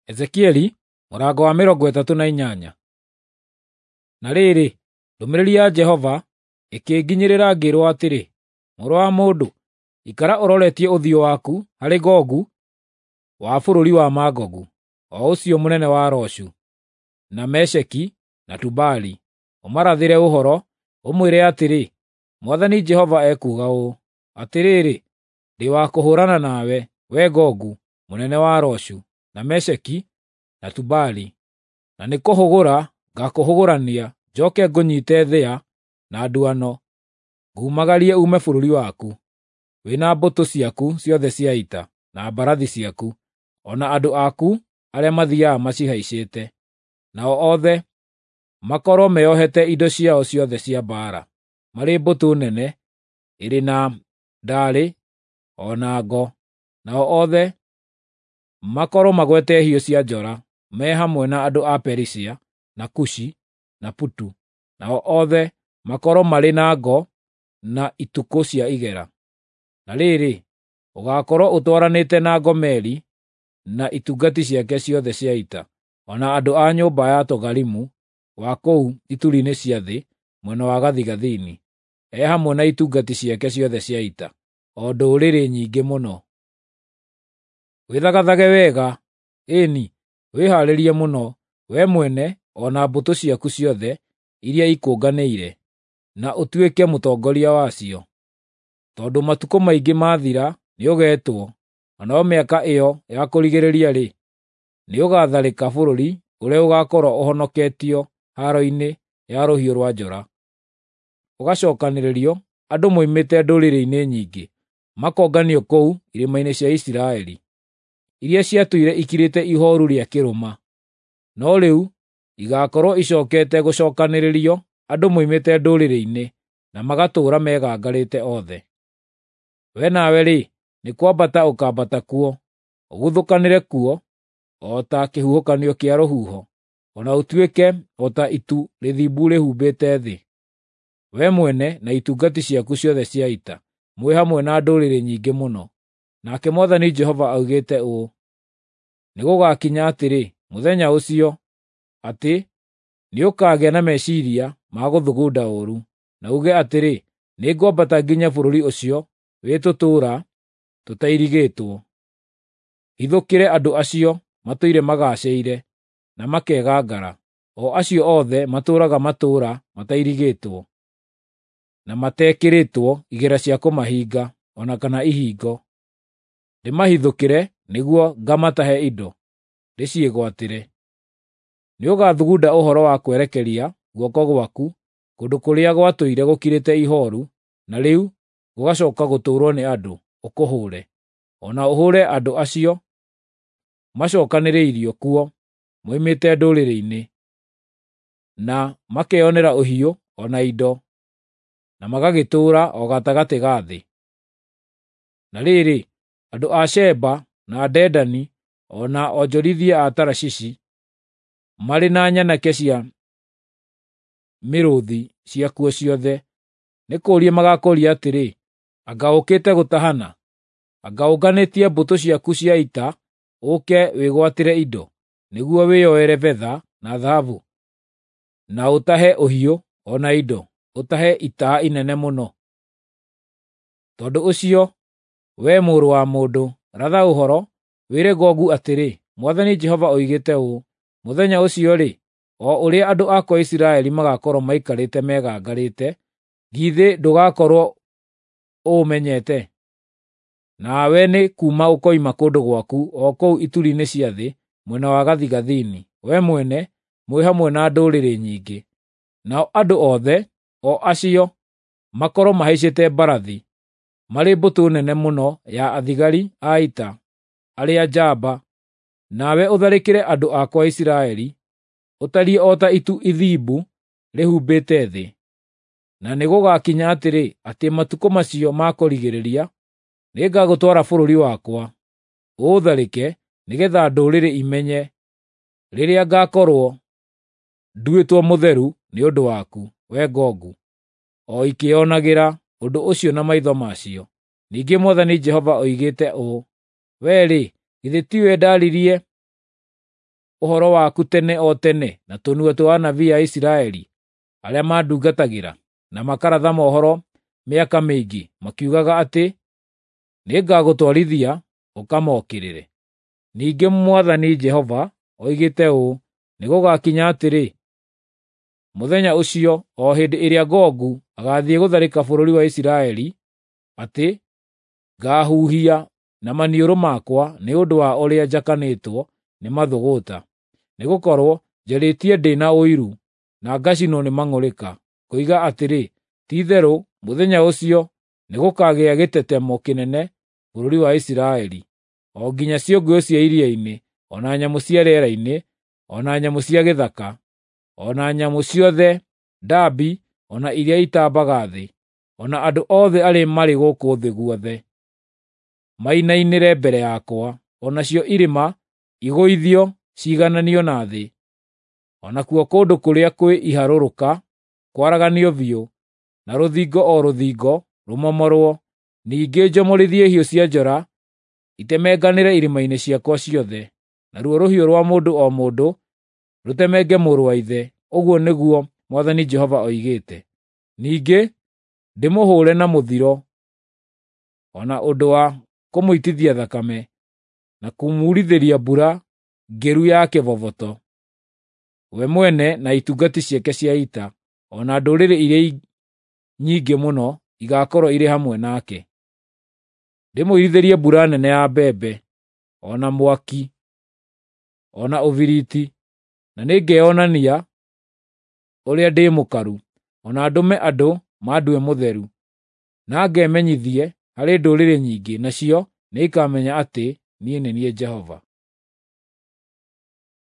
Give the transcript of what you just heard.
Ezekieli mũrango wa 38. Na rĩrĩ, ndũmĩrĩri ya Jehova ĩkĩnginyĩrĩra ngĩĩrwo atĩrĩ, Mũrũ wa mũndũ, ikara ũroretie ũthiũ waku harĩ Gogu wa bũrũri wa Magogu, o ũcio mũnene wa Roshu, na Mesheki na Tubali, ũmarathĩre ũhoro, ũmwĩre atĩrĩ, Mwathani Jehova ekuuga ũũ: Atĩrĩrĩ, ndĩ wa kũhũũrana nawe, wee Gogu, mũnene wa Roshu, na Mesheki na Tubali, na nĩkũhũgũra ngakũhũgũrania njoke ngũnyiite thĩa na nduano, ngumagarie uume bũrũri waku, wĩ na mbũtũ ciaku ciothe cia ita, na mbarathi ciaku, o na andũ aku arĩa mathiiaga macihaicĩte, nao othe makorwo meeohete indo ciao ciothe cia mbaara, marĩ mbũtũ nene ĩrĩ na ndaarĩ o na ngo, nao othe makorwo magwete hiũ cia njora me hamwe na andũ a Perisia, na Kushi, na Putu, nao othe makorwo marĩ na ngo na itukũ cia igera. Na rĩrĩ, ũgaakorwo ũtwaranĩte na Gomeri na itungati ciake ciothe cia ita, o na andũ a nyũmba ya Togarimu wa kũu ituri-inĩ cia thĩ mwena wa gathigathini, e hamwe na itungati ciake ciothe cia ita, o ndũrĩrĩ nyingĩ mũno. Wĩthagathage wega, ĩĩ-ni, wĩhaarĩrie mũno, wee mwene o na mbũtũ ciaku ciothe iria ikũnganĩire, na ũtuĩke mũtongoria wacio. Tondũ matukũ maingĩ maathira nĩũgeetwo, na no mĩaka ĩyo ya kũrigĩrĩria-rĩ, nĩũgatharĩka bũrũri ũrĩa ũgaakorwo ũhonoketio haaro-inĩ ya rũhiũ rwa njora. Ũgacookanĩrĩrio andũ moimĩte ndũrĩrĩ-inĩ nyingĩ, makonganio kũu irĩma-inĩ cia Isiraeli, iria ciatũire ikirĩte ihooru rĩa kĩrũma. No rĩu igaakorwo icookete gũcookanĩrĩrio andũ moimĩte ndũrĩrĩ-inĩ, na magatũũra megangarĩte othe. Wee nawe-rĩ, nĩ kwambata ũkaambata kuo, ũguthũkanĩre kuo o ta kĩhuhũkanio kĩa rũhuho, o na ũtuĩke o ta itu rĩthimbu rĩhumbĩte thĩ. Wee mwene na itungati ciaku ciothe cia ita, mwĩ hamwe na ndũrĩrĩ nyingĩ mũno. Nake Mwathani Jehova oigĩte ũũ: Nĩgũgakinya atĩrĩ, mũthenya ũcio, atĩ nĩũkagĩa na meciiria ma gũthugunda ũũru, na uuge atĩrĩ, ‘Nĩngwambata nginye bũrũri ũcio wĩ tũtũũra tũtairigĩtwo, hithũkĩre andũ acio matũire magaacĩire na makegangara, o acio othe matũũraga matũũra matairigĩtwo, na matekĩrĩtwo igera cia kũmahinga, o na kana ihingo. Ndĩmahithũkĩre nĩguo ngamatahe indo, ndĩciĩgwatĩre.’ Nĩũgathugunda ũhoro wa kwerekeria guoko gwaku kũndũ kũrĩa gwatũire gũkirĩte ihooru, na rĩu gũgacooka gũtũũrwo nĩ andũ, ũkũhũũre, o na ũhũũre andũ acio macookanĩrĩirio kuo moimĩte ndũrĩrĩ-inĩ, na makeyonera ũhiũ o na indo, na magagĩtũũra o gatagatĩ ga thĩ. Na rĩrĩ, andũ a Sheba na Dedani o na onjorithia a Tarashishi marĩ na nyanake cia mĩrũũthi ciakuo ciothe, nĩ kũũria magaakũũria atĩrĩ, ‘Anga ũũkĩte gũtahana? Anga ũnganĩtie mbũtũ ciaku cia ita ũũke wĩgwatĩre indo, nĩguo wĩyoere betha na thahabu, na ũtahe ũhiũ o na indo, ũtahe ita inene mũno?’ Tondũ ũcio, wee mũrũ wa mũndũ, ratha ũhoro, wĩre Gogu atĩrĩ, Mwathani Jehova oigĩte ũũ: Mũthenya ũcio-rĩ, o ũrĩa andũ akwa a Isiraeli magaakorwo maikarĩte megangarĩte, githĩ ndũgakorwo ũũmenyete? Nawe nĩ kuuma ũkoima kũndũ gwaku o kũu ituri-inĩ cia thĩ mwena wa gathigathini, wee mwene, mwĩ hamwe na ndũrĩrĩ nyingĩ. Nao andũ othe, o acio makorwo mahaicĩte mbarathi, marĩ mbũtũ nene mũno ya athigari a ita arĩa njamba, nawe ũtharĩkĩre andũ akwa a Isiraeli, ũtariĩ o ta itu ithimbu rĩhumbĩte thĩ. Na nĩgũgakinya atĩrĩ, atĩ matukũ macio ma kũrigĩrĩria nĩngagũtwara bũrũri wakwa, ũũtharĩke, nĩgeetha ndũrĩrĩ imenye rĩrĩa ngaakorwo nduĩtwo mũtheru nĩ ũndũ waku, wee Gogu, o ikĩĩonagĩra ũndũ ũcio na maitho macio. Ningĩ Mwathani Jehova oigĩte ũũ: Wee-rĩ, githĩ tiwe ndaaririe ũhoro waku tene o tene na tũnua twa anabii a Isiraeli arĩa mandungatagĩra, na makaratha mohoro mĩaka mĩingĩ, makiugaga atĩ nĩngagũtwarithia ũkamokĩrĩre. Ningĩ Mwathani Jehova oigĩte ũũ: Nĩgũgakinya atĩrĩ, mũthenya ũcio, o hĩndĩ ĩrĩa Gogu agaathiĩ gũtharĩka bũrũri wa Isiraeli, atĩ ngaahuhia na maniũrũ makwa nĩ ũndũ wa ũrĩa njakanĩtwo nĩ mathũgũta, nĩgũkorwo njarĩtie ndĩ na ũiru, na ngacinwo nĩ mang'ũrĩka, ngoiga atĩrĩ, ti-itherũ mũthenya ũcio nĩgũkagĩa gĩtetemo kĩnene bũrũri wa Isiraeli, o nginya ciũngũyũ cia iria-inĩ, o na nyamũ cia rĩera-inĩ, o na nyamũ cia gĩthaka, o na nyamũ ciothe ndambi o na iria itambaga thĩ, o na andũ othe arĩa marĩ gũkũ thĩ guothe, mainainĩre mbere yakwa, o nacio irĩma igũithio ciigananio na thĩ, o nakuo kũndũ kũrĩa kwĩ iharũrũka kwaraganio biũ, na rũthingo o rũthingo rũmomorwo. Ningĩ njomorithie hiũ cia njora itemenganĩre irĩma-inĩ ciakwa ciothe, naruo rũhiũ rwa mũndũ o mũndũ rũtemenge mũrũ wa ithe, ũguo nĩguo Mwathani Jehova oigĩte. Ningĩ ndĩmũhũũre na mũthiro, o na ũndũ wa kũmũitithia thakame, na kũmuurithĩria mbura ngĩru ya kĩboboto, we mwene na itungati ciake cia ita, o na ndũrĩrĩ iria nyingĩ mũno igaakorwo irĩ hamwe nake. Ndĩmũirithĩrie mbura nene ya mbembe, o na mwaki, o na ũbiriti, na nĩngeyonania ũrĩa ndĩ mũkaru, o na ndũme andũ mandue mũtheru, na ngemenyithie harĩ ndũrĩrĩ nyingĩ, nacio nĩikamenya atĩ niĩ nĩ niĩ Jehova.